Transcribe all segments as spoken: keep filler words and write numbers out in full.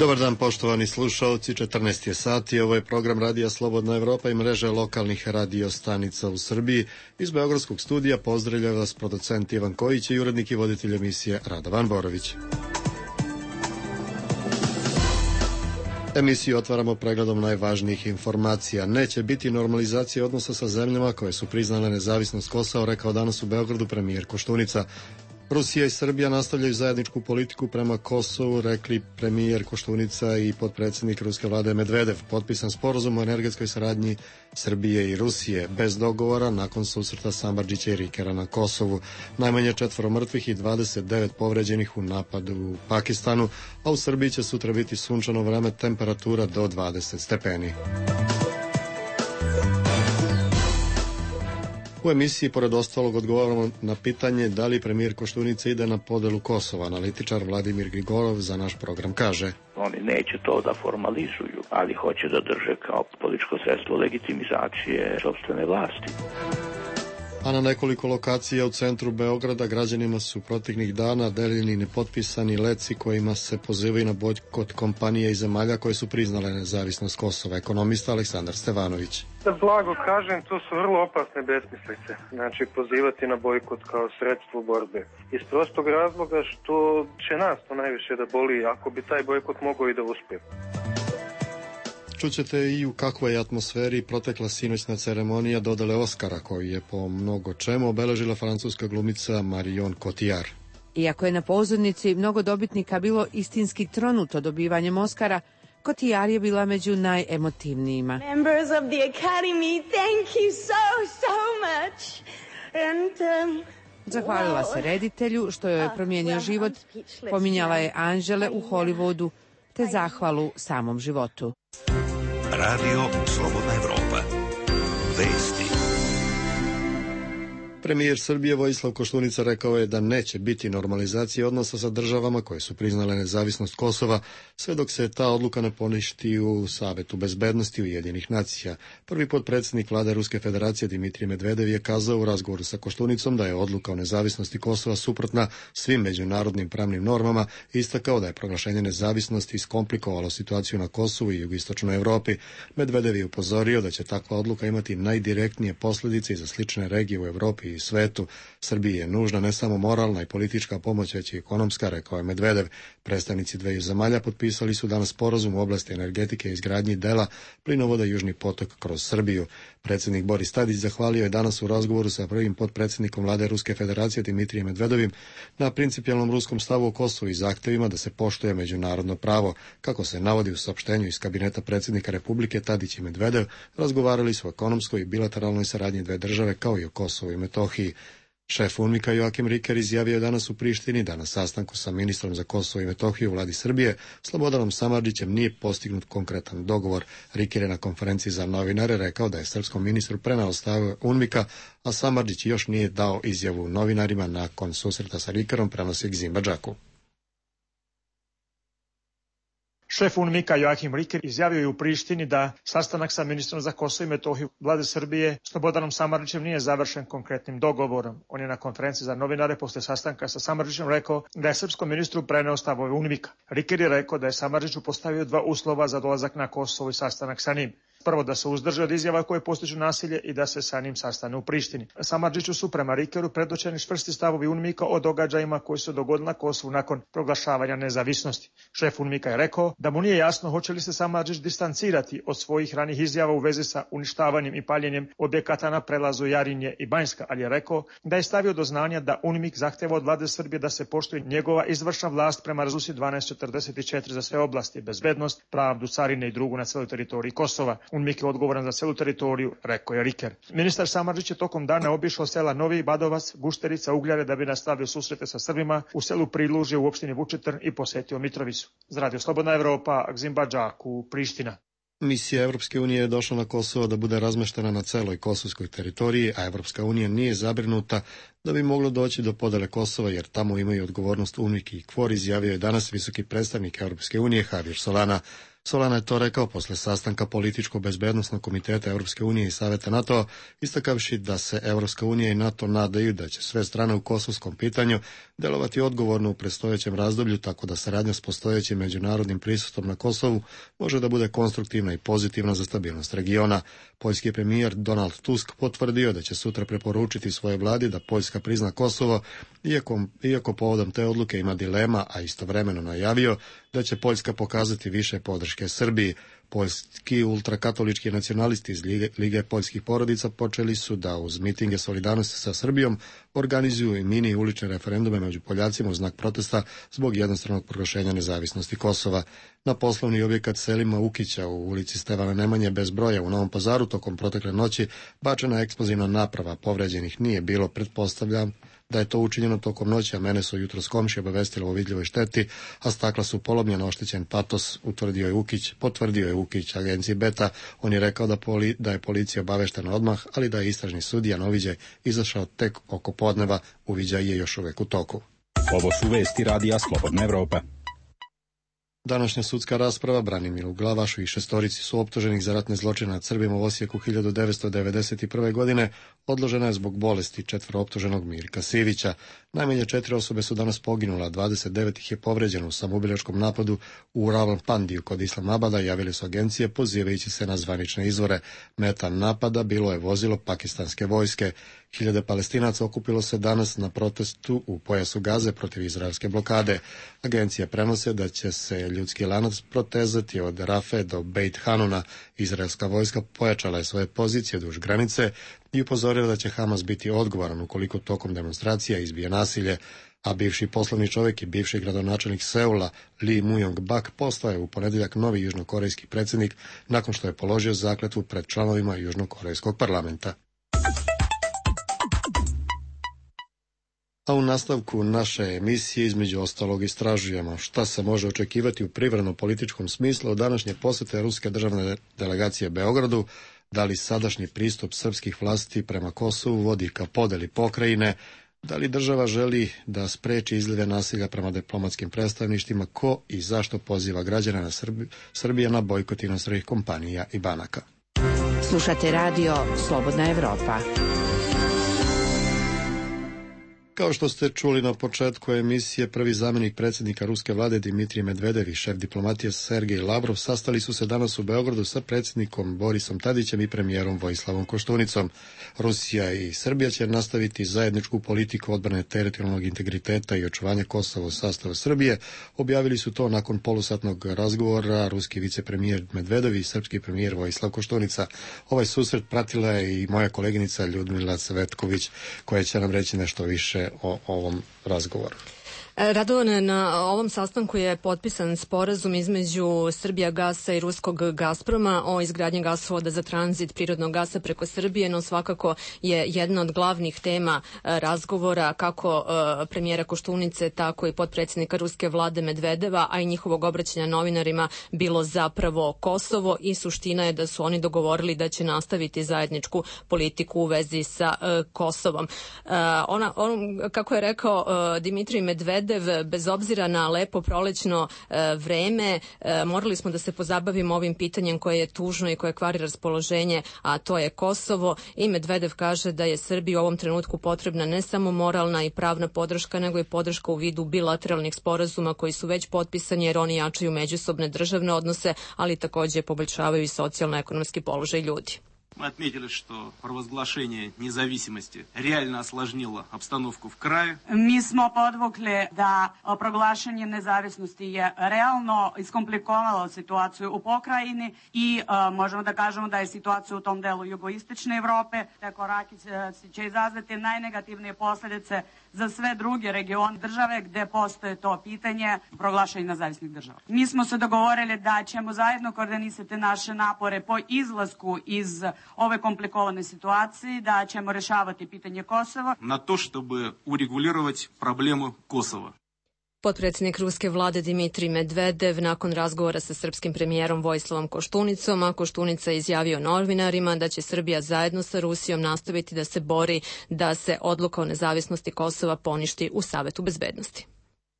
Dobar dan, poštovani slušalci, četrnaest je sati, ovo je program Radija Slobodna Evropa i mreže lokalnih radio stanica u Srbiji. Iz Beogradskog studija pozdravlja vas producent Ivan Kojić i urednik i voditelj emisije Radovan Borović. Emisiju otvaramo pregledom najvažnijih informacija. Neće biti normalizacije odnosa sa zemljama koje su priznale nezavisnost Kosova, rekao danas u Beogradu premijer Koštunica. Rusija i Srbija nastavljaju zajedničku politiku prema Kosovu, rekli premijer Koštunica i potpredsjednik ruske vlade Medvedev. Potpisan sporazum o energetskoj saradnji Srbije i Rusije bez dogovora nakon susreta Samardžića i Rikera na Kosovu. Najmanje četvoro mrtvih i dvadeset devet povređenih u napadu u Pakistanu, a u Srbiji će sutra biti sunčano vreme, temperatura do dvadeset stepeni. U emisiji, pored ostalog, odgovaramo na pitanje da li premijer Koštunica ide na podelu Kosova. Analitičar Vladimir Grigorov za naš program kaže: Oni neće to da formalizuju, ali hoće da drže kao političko sredstvo legitimizacije sopstvene vlasti. A na nekoliko lokacija u centru Beograda građanima su proteklih dana delili nepotpisani leci kojima se pozivaju na bojkot kompanije i zemalja koje su priznale nezavisnost Kosova. Ekonomista Aleksandar Stevanović. Da blago kažem, to su vrlo opasne besmislice. Znači, pozivati na bojkot kao sredstvo borbe. Iz prostog razloga što će nas to najviše da boli ako bi taj bojkot mogao i da uspije. Čućete i u kakvoj je atmosferi protekla sinoćna ceremonija dodele Oskara, koju je po mnogo čemu obeležila francuska glumica Marion Cotillard. Iako je na pozornici mnogo dobitnika bilo istinski tronuto dobivanjem Oskara, Cotillard je bila među najemotivnijima. Members of the Academy, thank you so, so much. And, um... Zahvalila se reditelju što joj je promijenio život, pominjala je anđele u Hollywoodu, te zahvalu samom životu. Radio Slobodna Evropa. Vesti. Premijer Srbije Vojislav Koštunica rekao je da neće biti normalizacije odnosa sa državama koje su priznale nezavisnost Kosova, sve dok se ta odluka ne poništi u Savetu bezbednosti Ujedinjenih nacija. Prvi potpredsjednik vlade Ruske federacije Dimitrij Medvedev je kazao u razgovoru sa Koštunicom da je odluka o nezavisnosti Kosova suprotna svim međunarodnim pravnim normama i istakao da je proglašenje nezavisnosti iskomplikovalo situaciju na Kosovu i jugoistočnoj Evropi. Medvedev je upozorio da će takva odluka imati najdirektnije posljedice i za slične regije u Evropi i svetu. Srbiji je nužna ne samo moralna i politička pomoć, već i ekonomska, rekao je Medvedev. Predstavnici dveju zemalja potpisali su danas sporazum u oblasti energetike i izgradnji dela plinovoda Južni potok kroz Srbiju. Predsjednik Boris Tadić zahvalio je danas u razgovoru sa prvim potpredsjednikom vlade Ruske federacije Dimitrijem Medvedovim na principijelnom ruskom stavu o Kosovu i zahtevima da se poštuje međunarodno pravo. Kako se navodi u saopštenju iz kabineta predsjednika Republike, Tadić i Medvedev razgovarali su o ekonomskoj i bilateralnoj saradnji dve države kao i o Kosovu i Metohiji. Šef UNMIK-a Joakim Riker izjavio je danas u Prištini da na sastanku sa ministrom za Kosovo i Metohiju u vladi Srbije Slobodanom Samardžićem nije postignut konkretan dogovor. Riker je na konferenciji za novinare rekao da je srpskom ministru preneo stavove UNMIK-a, a Samardžić još nije dao izjavu novinarima nakon susreta sa Rikerom, prenosi Gzimba Džaku. Šef UNMIK-a Joakim Riker izjavio je u Prištini da sastanak sa ministrom za Kosovo i Metohiju vlade Srbije Slobodanom Samardžićem nije završen konkretnim dogovorom. On je na konferenciji za novinare posle sastanka sa Samardžićem rekao da je srpskom ministru preneo stavove UNMIK-a. Riker je rekao da je Samardžiću postavio dva uslova za dolazak na Kosovo i sastanak sa njim. Prvo, da se uzdrže od izjava koje postižu nasilje i da se sa njim sastane u Prištini. Samardžiću su prema Rikeru predočeni čvrsti stavovi UNMIK-a o događajima koji su dogodili na Kosovu nakon proglašavanja nezavisnosti. Šef UNMIK-a je rekao da mu nije jasno hoće li se Samardžić distancirati od svojih ranih izjava u vezi sa uništavanjem i paljenjem objekata na prelazu Jarinje i Banjska, ali je rekao da je stavio do znanja da UNMIK zahteva od vlade Srbije da se poštuje njegova izvršna vlast prema rezoluciji dvanaest četrdeset četiri za sve oblasti, bezbednost, pravdu, carine i drugu na celoj teritoriji Kosova. UNMIK je odgovoran za celu teritoriju, rekao je Riker. Ministar Samardžić je tokom dana obišao sela Novi Badovac, Gušterica, Ugljare da bi nastavio susrete sa Srbima u selu Prilužje u opštini Vučitrn i posetio Mitrovicu. Z Radio Slobodna Evropa, Gzimba Džaku, Priština. Misija Evropske unije je došla na Kosovo da bude razmeštena na celoj kosovskoj teritoriji, a Evropska unija nije zabrinuta da bi moglo doći do podele Kosova, jer tamo imaju odgovornost UNMIK i KFOR, izjavio je danas visoki predstavnik Evropske unije Javier Solana. Solana je to rekao posle sastanka političko-bezbednosnog komiteta Europske unije i Saveta NATO, istakavši da se Europska unija i NATO nadaju da će sve strane u kosovskom pitanju delovati odgovorno u predstojećem razdoblju, tako da saradnja s postojećim međunarodnim prisustvom na Kosovu može da bude konstruktivna i pozitivna za stabilnost regiona. Poljski premijer Donald Tusk potvrdio da će sutra preporučiti svojoj vladi da Poljska prizna Kosovo, iako, iako povodom te odluke ima dilema, a istovremeno najavio da će Poljska pokazati više podrške Srbiji. Poljski ultrakatolički nacionalisti iz Lige, Lige poljskih porodica počeli su da uz mitinge solidarnosti sa Srbijom organizuju i mini ulične referendume među Poljacima u znak protesta zbog jednostranog proglašenja nezavisnosti Kosova. Na poslovni objekat Selima Ukića u ulici Stevana Nemanje bez broja u Novom Pazaru tokom protekle noći bačena eksplozivna naprava, povređenih nije bilo, pretpostavljam da je to učinjeno tokom noći, a mene su jutros komšije obavestilo o vidljivoj šteti, a stakla su polomljena, oštećen patos, utvrdio je Ukić, potvrdio je Ukić agenciji Beta. On je rekao da, poli, da je policija obaveštena odmah, ali da je istražni sudija na uviđaj izašao tek oko podneva, uviđaj je još uvek u toku. Ovo su vesti radija Slobodna Evropa. Današnja sudska rasprava Branimiru Glavašu i šestorici su optuženih za ratne zločine nad Srbima u Osijeku hiljadu devetsto devedeset prve. godine odložena je zbog bolesti četvoro optuženog Mirka Sivića. Najmanje četiri osobe su danas poginula, dvadeset devet ih je povređeno u samoubilačkom napadu u Rawalpindiju kod Islamabada, javili su agencije pozivajući se na zvanične izvore. Meta napada bilo je vozilo pakistanske vojske. Hiljade Palestinaca okupilo se danas na protestu u pojasu Gaze protiv izraelske blokade. Agencije prenose da će se ljudski lanac protezati od Rafe do Beit Hanuna. Izraelska vojska pojačala je svoje pozicije duž granice i upozorila da će Hamas biti odgovoran ukoliko tokom demonstracija izbije nasilje, a bivši poslovni čovjek i bivši gradonačelnik Seula Lee Myung-bak postao je u ponedjeljak novi južnokorejski predsjednik nakon što je položio zakletvu pred članovima južnokorejskog parlamenta. A u nastavku naše emisije između ostalog istražujemo šta se može očekivati u privredno-političkom smislu od današnje posjete ruske državne delegacije Beogradu, da li sadašnji pristup srpskih vlasti prema Kosovu vodi ka podeli pokrajine, da li država želi da spreči izlive nasilja prema diplomatskim predstavništvima, ko i zašto poziva građana na Srbi, Srbije na bojkot inostranih kompanija i banaka. Slušate radio Slobodna Evropa. Kao što ste čuli na početku emisije, prvi zamjenik predsjednika ruske vlade Dimitrij Medvedev i šef diplomatije Sergej Lavrov sastali su se danas u Beogradu sa predsjednikom Borisom Tadićem i premijerom Vojislavom Koštunicom. Rusija i Srbija će nastaviti zajedničku politiku odbrane teritorijalnog integriteta i očuvanja Kosova u sastavu Srbije. Objavili su to nakon polusatnog razgovora ruski vicepremijer Medvedev i srpski premijer Vojislav Koštunica. Ovaj susret pratila je i moja koleginica Ljudmila Cvetković, koja će nam reći nešto više o ovom razgovoru. Radovane, na ovom sastanku je potpisan sporazum između Srbijagasa i ruskog Gazproma o izgradnji gasovoda za tranzit prirodnog gasa preko Srbije, no svakako je jedna od glavnih tema razgovora kako premijera Koštunice, tako i potpredsjednika ruske vlade Medvedeva, a i njihovog obraćanja novinarima bilo zapravo Kosovo, i suština je da su oni dogovorili da će nastaviti zajedničku politiku u vezi sa Kosovom. Ona, on, kako je rekao Dimitrij Medvedev, bez obzira na lepo prolećno e, vreme, e, morali smo da se pozabavimo ovim pitanjem koje je tužno i koje kvari raspoloženje, a to je Kosovo, i Medvedev kaže da je Srbiji u ovom trenutku potrebna ne samo moralna i pravna podrška, nego i podrška u vidu bilateralnih sporazuma koji su već potpisani, jer oni jačaju međusobne državne odnose, ali takođe poboljšavaju i socijalno-ekonomski položaj ljudi. Мы отметили, что провозглашение независимости реально осложнило обстановку в крае. Mi smo podvukli da proglašenje nezavisnosti je realno iskomplikovalo situaciju u pokrajini i uh, možemo da kažemo da je situacija u tom delu jugoistočne Evrope. Te koraki će izazvati najnegativnije posljedice za sve druge regione države gde postoje to pitanje proglašenja nezavisnih država. Mi smo se dogovorili da ćemo zajedno koordinisati naše napore po izlasku iz ove komplikovane situacije, da ćemo rešavati pitanje Kosova. Na to, чтобы урегулировать проблему Косова. Potpredsjednik ruske vlade Dimitrij Medvedev nakon razgovora sa srpskim premijerom Vojislavom Koštunicom, a Koštunica je izjavio novinarima da će Srbija zajedno sa Rusijom nastaviti da se bori da se odluka o nezavisnosti Kosova poništi u Savetu bezbednosti.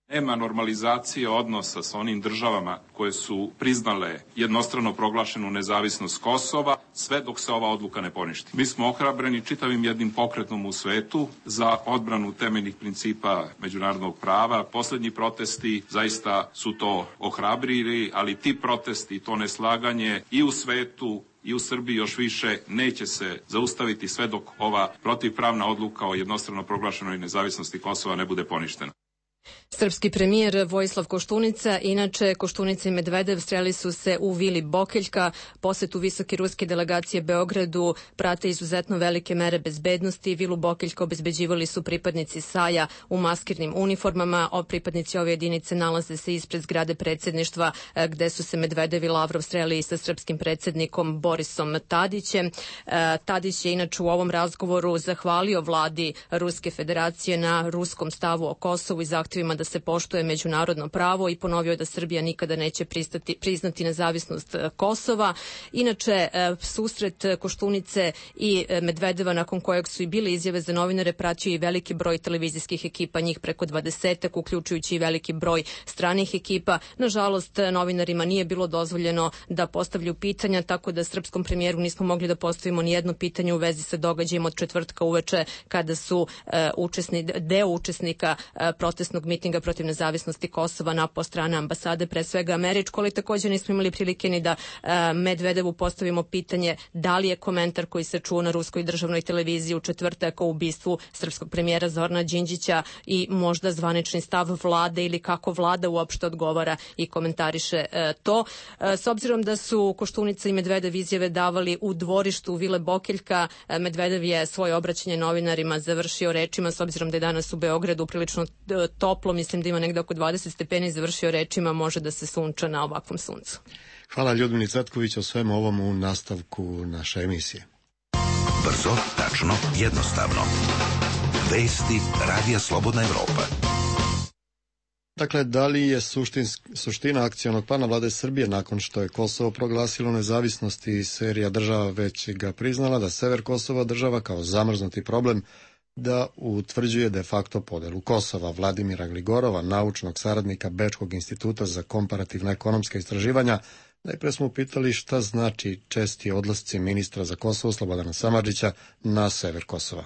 Nema normalizacije odnosa sa onim državama koje su priznale jednostrano proglašenu nezavisnost Kosova, sve dok se ova odluka ne poništi. Mi smo ohrabreni čitavim jednim pokretom u svetu za odbranu temeljnih principa međunarodnog prava. Poslednji protesti zaista su to ohrabrili, ali ti protesti, to neslaganje i u svetu i u Srbiji još više neće se zaustaviti sve dok ova protivpravna odluka o jednostrano proglašenoj nezavisnosti Kosova ne bude poništena. Srpski premijer Vojislav Koštunica, inače Koštunica i Medvedev sreli su se u vili Bokeljka. Posetu visoke ruske delegacije Beogradu prate izuzetno velike mere bezbednosti. Vilu Bokeljka obezbeđivali su pripadnici Saja u maskirnim uniformama. O pripadnici ove jedinice nalaze se ispred zgrade predsjedništva gde su se Medvedev i Lavrov sreli sa srpskim predsjednikom Borisom Tadićem. Tadić je inače u ovom razgovoru zahvalio vladi Ruske federacije na ruskom stavu o Kosovu i zahtjevima da se poštuje međunarodno pravo i ponovio da Srbija nikada neće pristati, priznati nezavisnost Kosova. Inače, susret Koštunice i Medvedeva, nakon kojeg su i bile izjave za novinare, pratio i veliki broj televizijskih ekipa, njih preko dvadesetak, uključujući i veliki broj stranih ekipa. Nažalost, novinarima nije bilo dozvoljeno da postavljaju pitanja, tako da srpskom premijeru nismo mogli da postavimo ni jedno pitanje u vezi sa događajem od četvrtka uveče, kada su uh, učesni, deo učesnika uh, protestnog mitinga protiv nezavisnosti Kosova napao strane ambasade, pre svega američko, ali također nismo imali prilike ni da uh, Medvedevu postavimo pitanje da li je komentar koji se čuo na ruskoj državnoj televiziji u četvrtak o ubistvu srpskog premijera Zorana Đinđića i možda zvanični stav vlade ili kako vlada uopšte odgovara i komentariše uh, to. Uh, s obzirom da su Koštunica i Medvedev izjave davali u dvorištu Vile Bokeljka, uh, Medvedev je svoje obraćanje novinarima završio rečima, s obzirom da je danas u Beogradu prilično uh, toplo, mislim da ima negde oko dvadeset stepeni, završio rečima može da se sunča na ovakvom suncu. Hvala Ljudmili Cvetković o svemu ovom u nastavku naše emisije. Brzo, tačno, jednostavno. Vesti Radija Slobodna Evropa. Dakle, da li je suština akcionog plana vlade Srbije nakon što je Kosovo proglasilo nezavisnost i serija država već ga priznala da sever Kosova država kao zamrznuti problem da utvrđuje de facto podelu Kosova. Vladimira Gligorova, naučnog saradnika Bečkog instituta za komparativna ekonomska istraživanja, najpre smo upitali šta znači česti odlasci ministra za Kosovo Slobodana Samardžića na sever Kosova.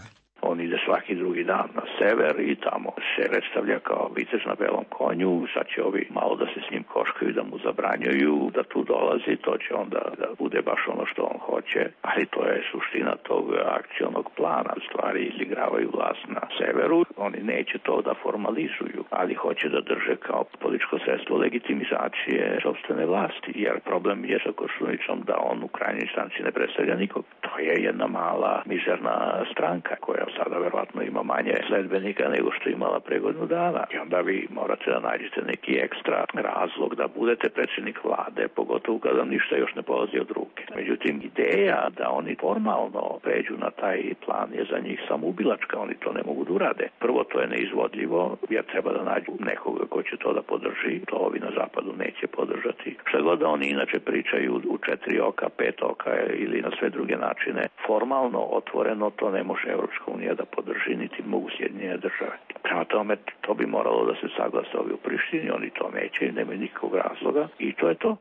On ide svaki drugi dan na sever i tamo se predstavlja kao vitez na belom konju. Sad će ovi malo da se s njim koškaju, da mu zabranjuju da tu dolazi, to će onda da bude baš ono što on hoće, ali to je suština tog akcionog plana. Stvari izigravaju vlast na severu, oni neće to da formalizuju, ali hoće da drže kao političko sredstvo legitimizacije sopstvene vlasti, jer problem je sa Koštunicom da on u krajnjoj instanci ne predstavlja nikog. To je jedna mala, mizerna stranka koja sada verovatno ima manje sledbenika nego što je imala pre godinu dana. I onda vi morate da nađete neki ekstra razlog da budete predsjednik vlade, pogotovo kada ništa još ne polazi od ruke. Međutim, ideja da oni formalno pređu na taj plan je za njih samoubilačka, oni to ne mogu da urade. Prvo, to je neizvodljivo, jer treba da nađu nekoga ko će to da podrži, to ovi na zapadu neće podržati. Šta god da oni inače pričaju u četiri oka, pet oka ili na sve druge načine, formalno, otvoreno, to ne može Evropska unija da podrži, niti mogu Sjedinjene države. Prema tome, to bi moralo da se saglasa ovi u Prištini, oni to neće, nemaju nikakvog razloga i to je to.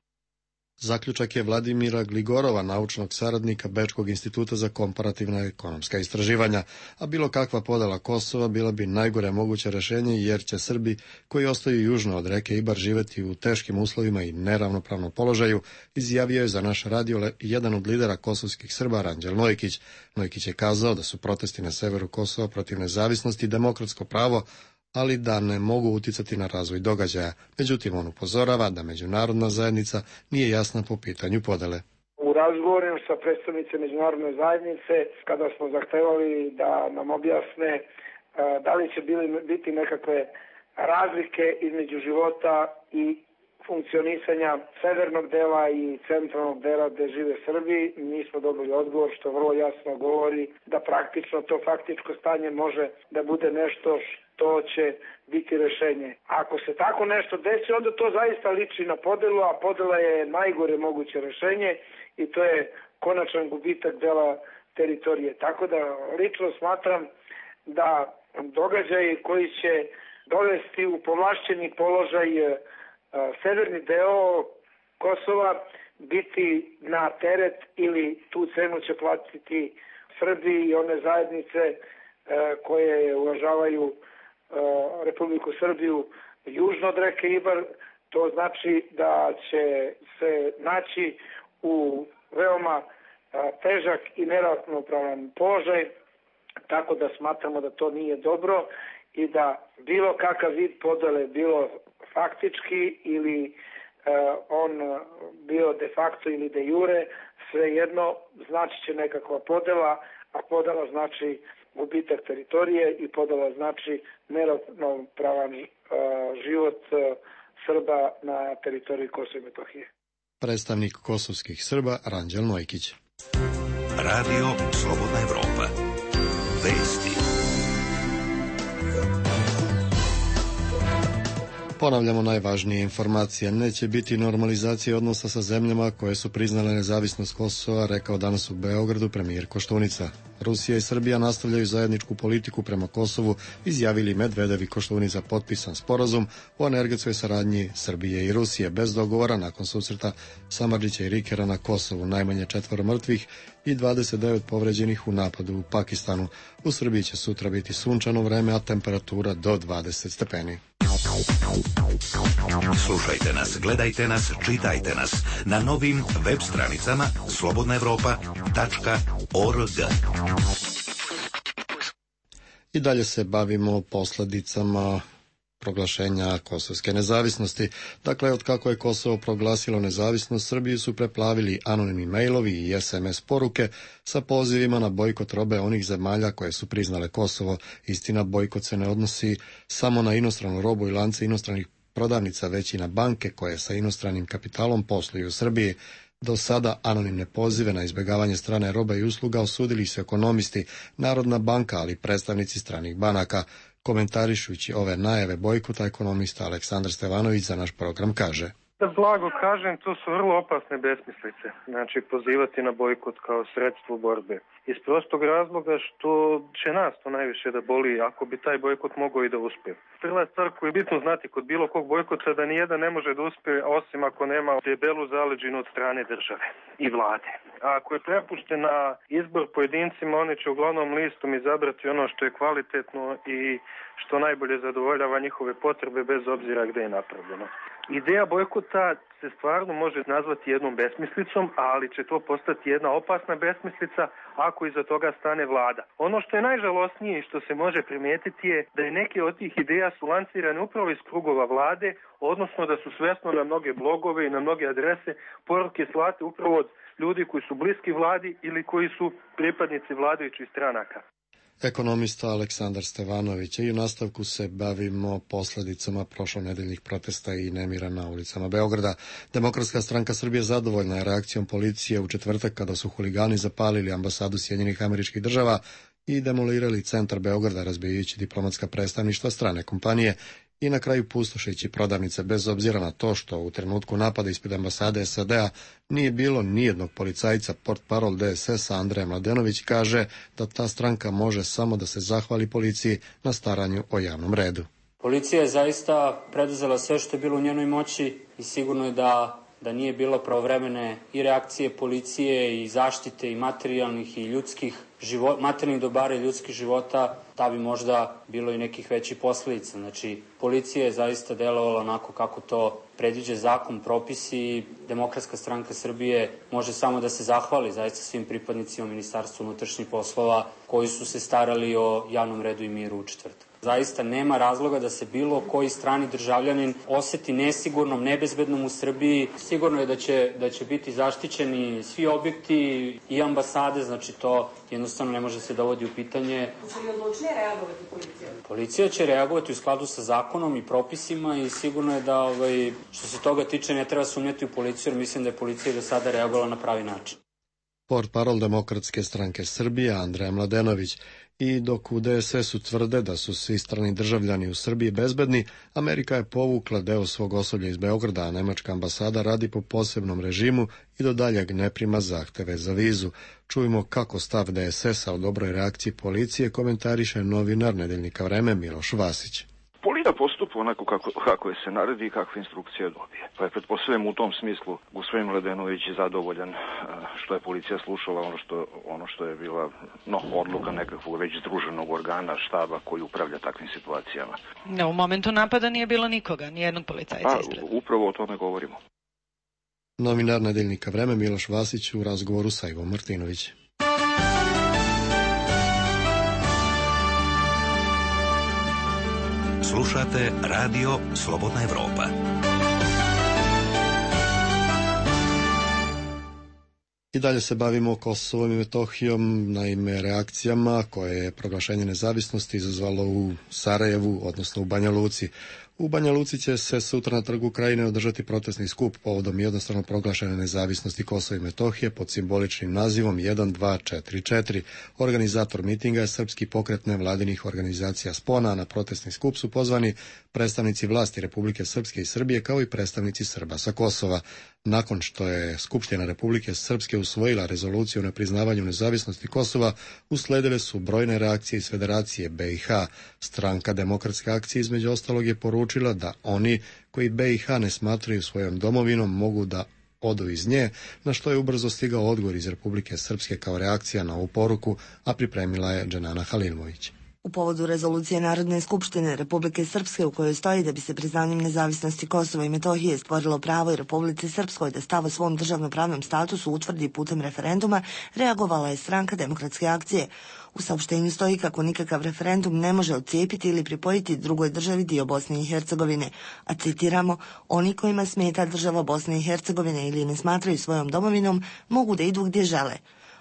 Zaključak je Vladimira Gligorova, naučnog saradnika Bečkog instituta za komparativna ekonomska istraživanja, a bilo kakva podela Kosova bila bi najgore moguće rešenje, jer će Srbi koji ostaju južno od reke Ibar živeti u teškim uslovima i neravnopravnom položaju, izjavio je za naš radio jedan od lidera kosovskih Srba, Ranđel Nojkić. Nojkić je kazao da su protesti na severu Kosova protiv nezavisnosti demokratsko pravo, ali da ne mogu uticati na razvoj događaja. Međutim, on upozorava da međunarodna zajednica nije jasna po pitanju podele. U razgovorima sa predstavnicima međunarodne zajednice, kada smo zahtevali da nam objasne da li će biti nekakve razlike između života i funkcionisanja severnog dela i centralnog dela gde žive Srbi, mi smo dobili odgovor što vrlo jasno govori da praktično to faktičko stanje može da bude nešto što će biti rešenje. Ako se tako nešto desi, onda to zaista liči na podelu, a podela je najgore moguće rešenje i to je konačan gubitak dela teritorije. Tako da lično smatram da događaji koji će dovesti u povlašćeni položaj severni deo Kosova, biti na teret ili tu cenu će platiti Srbi i one zajednice koje uvažavaju Republiku Srbiju južno od reke Ibar. To znači da će se naći u veoma težak i neravnopravan položaj, tako da smatramo da to nije dobro i da bilo kakav vid podele, bilo faktički ili on bio de facto ili de jure, svejedno znači će nekakva podela, a podela znači gubitak teritorije i podela znači neravnopravan život Srba na teritoriji Kosova i Metohije. Predstavnik kosovskih Srba Ranđel Nojkić. Radio Slobodna Evropa. Vesti. Ponavljamo najvažnije informacije. Neće biti normalizacije odnosa sa zemljama koje su priznale nezavisnost Kosova, rekao danas u Beogradu premijer Koštunica. Rusija i Srbija nastavljaju zajedničku politiku prema Kosovu, izjavili Medvedev i Koštunica potpisan sporazum o energetskoj saradnji Srbije i Rusije bez dogovora nakon susreta Samardžića i Rikera na Kosovu, najmanje četvoro mrtvih i dvadeset devet povređenih u napadu u Pakistanu. U Srbiji će sutra biti sunčano vreme, a temperatura do dvadeset stepeni. Slušajte nas, gledajte nas, čitajte nas na novim web stranicama slobodna evropa tačka org. I dalje se bavimo posljedicama proglašenja kosovske nezavisnosti. Dakle, od kako je Kosovo proglasilo nezavisnost, Srbiju su preplavili anonimni mailovi i es em es poruke sa pozivima na bojkot robe onih zemalja koje su priznale Kosovo. Istina, bojkot se ne odnosi samo na inostranu robu i lance inostranih prodavnica, već i na banke koje sa inostranim kapitalom posluju u Srbiji. Do sada anonimne pozive na izbjegavanje strane roba i usluga osudili su ekonomisti, Narodna banka, ali i predstavnici stranih banaka. Komentarišući ove najave bojkota, ekonomista Aleksandar Stevanović za naš program kaže: Da blago kažem, to su vrlo opasne besmislice. Znači, pozivati na bojkot kao sredstvo borbe. Iz prostog razloga što će nas to najviše da boli ako bi taj bojkot mogao i da uspije. Prva stvar koju je bitno znati kod bilo kog bojkota da nijedan ne može da uspije osim ako nema debelu zaleđinu od strane države i vlade. A ako je prepušten na izbor pojedincima, oni će uglavnom listom izabrati ono što je kvalitetno i što najbolje zadovoljava njihove potrebe bez obzira gde je napravljeno. Ideja bojkota se stvarno može nazvati jednom besmislicom, ali će to postati jedna opasna besmislica ako iza toga stane vlada. Ono što je najžalosnije i što se može primijetiti je da je neke od tih ideja su lancirane upravo iz krugova vlade, odnosno da su svesno na mnoge blogove i na mnoge adrese poruke slate upravo od ljudi koji su bliski vladi ili koji su pripadnici vladajućih stranaka. Ekonomista Aleksandar Stevanović. I u nastavku se bavimo posljedicama prošlonedeljnih protesta i nemira na ulicama Beograda. Demokratska stranka Srbije zadovoljna je reakcijom policije u četvrtak kada su huligani zapalili ambasadu Sjedinjenih Američkih Država i demolirali centar Beograda razbijajući diplomatska predstavništva strane kompanije i na kraju pustošeći prodavnice, bez obzira na to što u trenutku napada ispred ambasade es a de a nije bilo nijednog policajca. Portparol de es es a Andrej Mladenović kaže da ta stranka može samo da se zahvali policiji na staranju o javnom redu. Policija je zaista preduzela sve što je bilo u njenoj moći i sigurno je da, da nije bilo pravovremene i reakcije policije i zaštite i materijalnih i ljudskih života, materijalnih dobara i ljudskih života, da bi možda bilo i nekih većih posledica. Znači, policija je zaista delovala onako kako to predviđa zakon, propisi i Demokratska stranka Srbije može samo da se zahvali zaista svim pripadnicima Ministarstva unutrašnjih poslova koji su se starali o javnom redu i miru u četvrtak. Zaista nema razloga da se bilo koji strani državljanin oseti nesigurnom, nebezbednom u Srbiji. Sigurno je da će, da će biti zaštićeni svi objekti i ambasade, znači to jednostavno ne može se dovodi u pitanje. Će li odlučnije reagovati policija? Policija će reagovati u skladu sa zakonom i propisima i sigurno je da ovaj, što se toga tiče ne treba sumnjati u policiju, jer mislim da je policija do sada reagovala na pravi način. Portparol Demokratske stranke Srbije Andrej Mladenović. I dok u de es es u tvrde da su svi strani državljani u Srbiji bezbedni, Amerika je povukla deo svog osoblja iz Beograda, a nemačka ambasada radi po posebnom režimu i do daljeg ne prima zahteve za vizu. Čujemo kako stav de es es a o dobroj reakciji policije komentariše novinar nedeljnika Vreme Miloš Vasić. i da postupa onako kako, kako je se naredi i kakve instrukcije dobije. Pa je pretpostavljam u tom smislu gospodin Mladenović zadovoljan što je policija slušala ono što, ono što je bila no, odluka nekakvog već združenog organa štaba koji upravlja takvim situacijama. No, u momentu napada nije bilo nikoga, nijednog policajca izgleda. Upravo o tome govorimo. Novinar nedeljnika Vreme Miloš Vasić u razgovoru sa Ivom Martinović. Slušate Radio Slobodna Evropa. I dalje se bavimo Kosovom i Metohijom, naime reakcijama koje je proglašenje nezavisnosti izazvalo u Sarajevu, odnosno u Banja Luci. U Banja Luci će se sutra na Trgu Krajine održati protestni skup povodom jednostavno proglašene nezavisnosti Kosova i Metohije pod simboličnim nazivom jedan dva četiri četiri. Organizator mitinga je Srpski pokret nevladinih organizacija Spona, a na protestni skup su pozvani predstavnici vlasti Republike Srpske i Srbije kao i predstavnici Srba sa Kosova. Nakon što je Skupština Republike Srpske usvojila rezoluciju o nepriznavanju nezavisnosti Kosova, usledile su brojne reakcije iz Federacije B i H. Stranka Demokratske akcije između ostalog je poručila da oni koji B i H ne smatraju svojom domovinom mogu da odu iz nje, na što je ubrzo stigao odgovor iz Republike Srpske kao reakcija na ovu poruku, a pripremila je Dženana Halilmović. U povodu rezolucije Narodne skupštine Republike Srpske u kojoj stoji da bi se priznanjem nezavisnosti Kosova i Metohije stvorilo pravo i Republici Srpskoj da stav o svom državnopravnom statusu utvrdi putem referenduma, reagovala je Stranka Demokratske akcije. U saopštenju stoji kako nikakav referendum ne može odcijepiti ili pripojiti drugoj državi dio Bosne i Hercegovine, a citiramo, oni kojima smeta država Bosne i Hercegovine ili ne smatraju svojom domovinom mogu da idu gdje žele.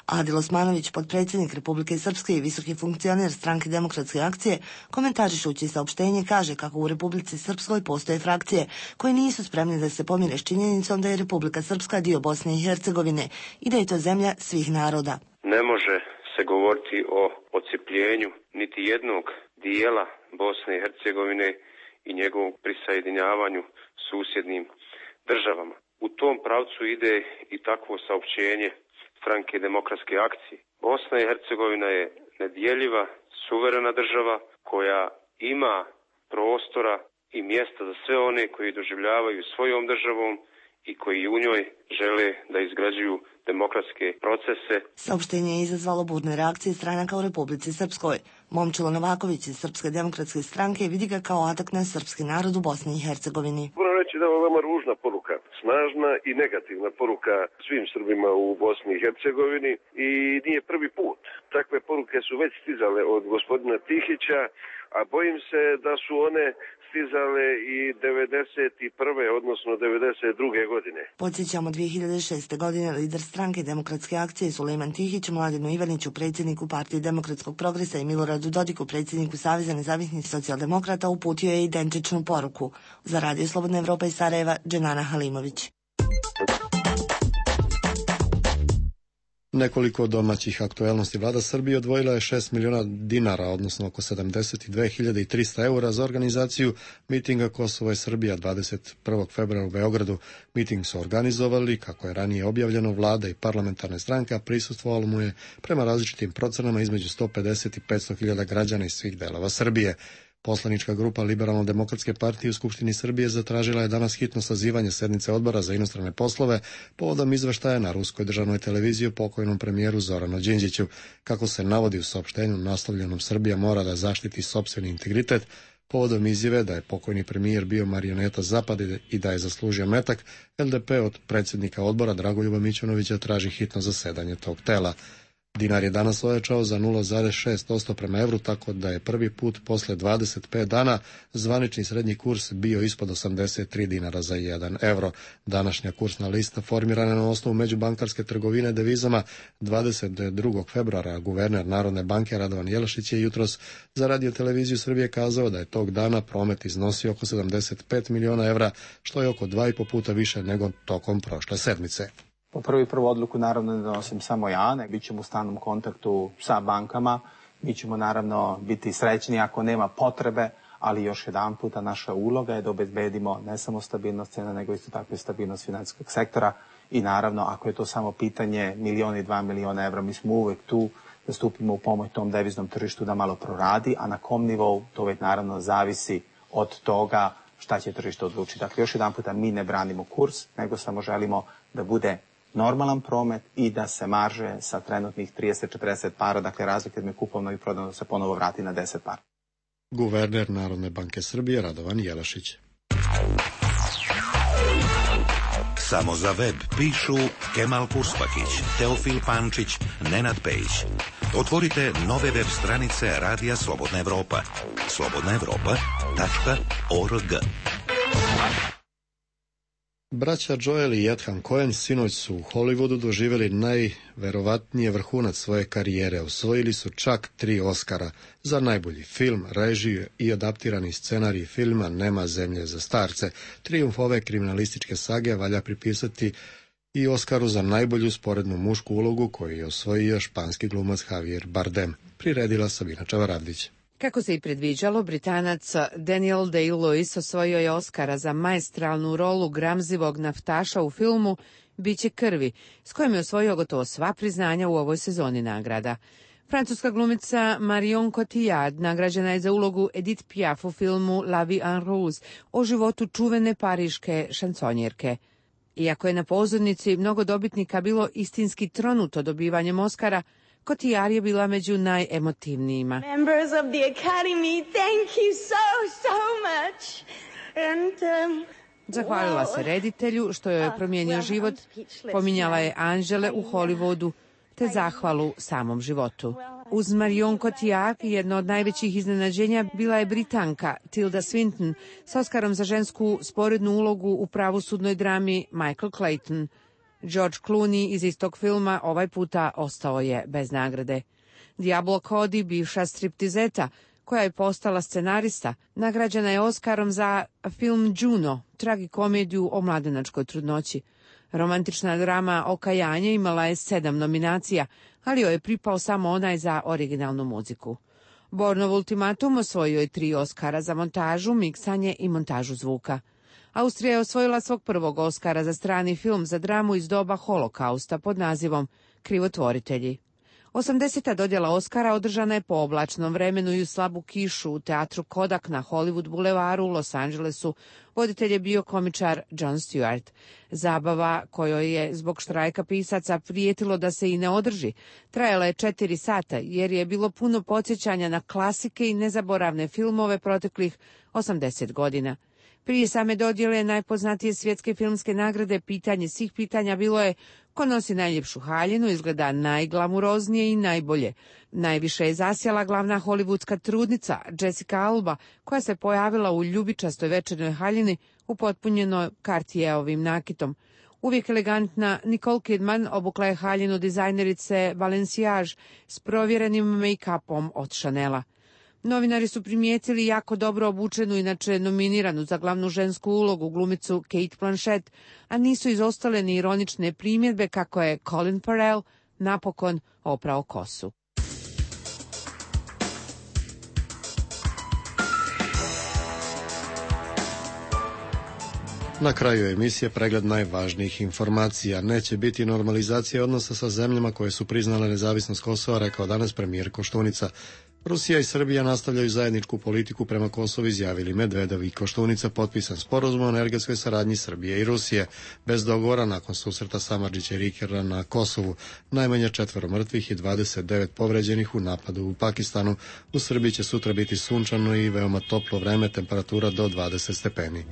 Adil Osmanović, potpredsjednik Republike Srpske i visoki funkcioner Stranke Demokratske akcije, komentarišući saopštenje kaže kako u Republici Srpskoj postoje frakcije koje nisu spremne da se pomire s činjenicom da je Republika Srpska dio Bosne i Hercegovine i da je to zemlja svih naroda. Ne može se govoriti o odcijepljenju niti jednog dijela Bosne i Hercegovine i njegovom prisajedinjavanju susjednim državama. U tom pravcu ide i takvo saopštenje Stranke Demokratske akcije. Bosna i Hercegovina je nedjeljiva, suverena država koja ima prostora i mjesta za sve one koji doživljavaju svojom državom i koji u njoj žele da izgrađuju demokratske procese. Saopštenje je izazvalo burne reakcije stranaka u Republici Srpskoj. Momčilo Novaković iz Srpske demokratske stranke vidi ga kao atak na srpski narod u Bosni i Hercegovini. Moram reći da je ovo veoma ružna poruka, snažna i negativna poruka svim Srbima u Bosni i Hercegovini i nije prvi put. Takve poruke su već stizale od gospodina Tihića, a bojim se da su one stizale i devedeset prve odnosno devedeset druge godine. Podsjećamo, dvije hiljade šeste. godine lider Stranke Demokratske akcije Sulejman Tihić Mladenu Ivaniću, predsjedniku Partije demokratskog progresa i Miloradu Dodiku, predsjedniku Saveza nezavisnih socijaldemokrata, uputio je identičnu poruku. Za Radio Slobodna Evropa iz Sarajeva, Dženana Halimović. Nekoliko domaćih aktuelnosti. Vlada Srbije odvojila je šest miliona dinara, odnosno oko sedamdeset dve hiljade trista eura za organizaciju mitinga Kosovo i Srbija dvadeset prvog februara u Beogradu. Miting su organizovali, kako je ranije objavljeno, vlada i parlamentarne stranke, a prisustvovalo mu je prema različitim procenama između sto pedeset i petsto hiljada građana iz svih delova Srbije. Poslanička grupa Liberalno-demokratske partije u Skupštini Srbije zatražila je danas hitno sazivanje sednice Odbora za inostrane poslove povodom izveštaja na ruskoj državnoj televiziji o pokojnom premijeru Zoranu Đinđiću. Kako se navodi u saopštenju naslovljenom Srbija mora da zaštiti sopstveni integritet, povodom izjave da je pokojni premijer bio marioneta Zapada i da je zaslužio metak, L D P od predsjednika odbora Dragoljuba Mićunovića traži hitno zasedanje tog tela. Dinar je danas ojačao za nula zarez šest posto prema evru, tako da je prvi put posle dvadeset pet dana zvanični srednji kurs bio ispod osamdeset tri dinara za jedan evro. Današnja kursna lista formirana na osnovu međubankarske trgovine devizama dvadeset drugog februara. Guverner Narodne banke Radovan Jelašić je jutros za Radio televiziju Srbije kazao da je tog dana promet iznosio oko sedamdeset pet miliona evra, što je oko dva i po puta više nego tokom prošle sedmice. Po prvi prvu odluku naravno ne donosim samo ja, ne, bit ćemo u stalnom kontaktu sa bankama, mi ćemo naravno biti srećni ako nema potrebe, ali još jedan puta naša uloga je da obezbedimo ne samo stabilnost cena, nego isto tako i stabilnost financijskog sektora i naravno ako je to samo pitanje milion i dva miliona evra, mi smo uvek tu da stupimo u pomoć tom deviznom tržištu da malo proradi, a na kom nivou to već naravno zavisi od toga šta će tržište odlučiti. Dakle, još jedan puta, mi ne branimo kurs, nego samo želimo da bude normalan promet i da se marže sa trenutnih trideset četrdeset para, dakle razlike između kupovno i prodano, da se ponovo vrati na deset para. Guverner Narodne banke Srbije Radovan Jelašić. Samo za web pišu Kemal Purspakić, Teofil Pančić, Nenad Pejić. Otvorite nove web stranice Radija Slobodna Evropa. slobodna evropa tačka org. Braća Joel i Ethan Coen sinoć su u Hollywoodu doživjeli najverovatnije vrhunac svoje karijere. Osvojili su čak tri Oscara za najbolji film, režiju i adaptirani scenarij filma Nema zemlje za starce. Trijumf ove kriminalističke sage valja pripisati i Oskaru za najbolju sporednu mušku ulogu koju je osvojio španski glumac Javier Bardem. Priredila Sabina Čavaravdić. Kako se i predviđalo, Britanac Daniel Day-Lewis osvojio je Oskara za maestralnu rolu gramzivog naftaša u filmu Biće krvi, s kojim je osvojio gotovo sva priznanja u ovoj sezoni nagrada. Francuska glumica Marion Cotillard nagrađena je za ulogu Edith Piaf u filmu La vie en rose o životu čuvene pariške šansonjerke. Iako je na pozornici mnogo dobitnika bilo istinski tronuto dobivanjem Oskara, Cotillard je bila među najemotivnijima. Members of the Academy, thank you so, so much. And, um, Zahvalila se reditelju što joj je promijenio život, pominjala je Anžele u Hollywoodu, te zahvalu samom životu. Uz Marion Cotillard jedno od najvećih iznenađenja bila je Britanka Tilda Swinton s Oskarom za žensku sporednu ulogu u pravosudnoj drami Michael Clayton. George Clooney iz istog filma ovaj puta ostao je bez nagrade. Diablo Cody, bivša striptizeta, koja je postala scenarista, nagrađena je Oskarom za film Juno, tragikomediju o mladenačkoj trudnoći. Romantična drama Okajanje imala je sedam nominacija, ali joj je pripao samo onaj za originalnu muziku. Bornov ultimatum osvojio je tri Oskara za montažu, miksanje i montažu zvuka. Austrija je osvojila svog prvog Oskara za strani film za dramu iz doba Holokausta pod nazivom Krivotvoritelji. osamdeseta dodjela Oskara održana je po oblačnom vremenu i u slabu kišu u teatru Kodak na Hollywood bulevaru u Los Angelesu. Voditelj je bio komičar Jon Stewart. Zabava, kojoj je zbog štrajka pisaca prijetilo da se i ne održi, trajala je četiri sata jer je bilo puno podsjećanja na klasike i nezaboravne filmove proteklih osamdeset godina. Prije same dodjele najpoznatije svjetske filmske nagrade pitanje svih pitanja bilo je ko nosi najljepšu haljinu, izgleda najglamuroznije i najbolje. Najviše je zasjela glavna hollywoodska trudnica Jessica Alba, koja se pojavila u ljubičastoj večernoj haljini upotpunjenoj Cartierovim nakitom. Uvijek elegantna Nicole Kidman obukla je haljinu dizajnerice Balenciage s provjerenim make-upom od Chanela. Novinari su primijetili jako dobro obučenu, inače nominiranu za glavnu žensku ulogu glumicu Kate Blanchett, a nisu izostale ni ironične primjedbe kako je Colin Farrell napokon oprao kosu. Na kraju emisije pregled najvažnijih informacija. Neće biti normalizacije odnosa sa zemljama koje su priznale nezavisnost Kosova, rekao danas premijer Koštunica. Rusija i Srbija nastavljaju zajedničku politiku prema Kosovu, izjavili Medvedev i Koštunica, potpisan sporazum o energetskoj saradnji Srbije i Rusije. Bez dogovora nakon susreta Samardžića i Rikera na Kosovu, najmanje četvero mrtvih i dvadeset devet povređenih u napadu u Pakistanu. U Srbiji će sutra biti sunčano i veoma toplo vreme, temperatura do dvadeset stepeni.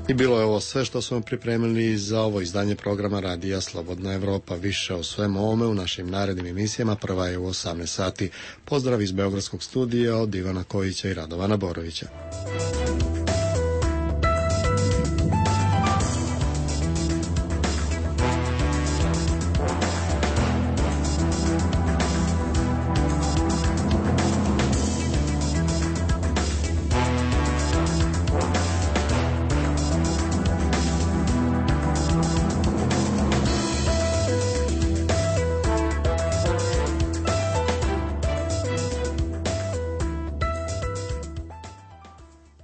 I bilo je ovo sve što smo pripremili za ovo izdanje programa Radija Slobodna Evropa. Više o svemu ovome u našim narednim emisijama. Prva je u osamnaest sati. Pozdrav iz Beogradskog studija od Ivana Kojića i Radovana Borovića.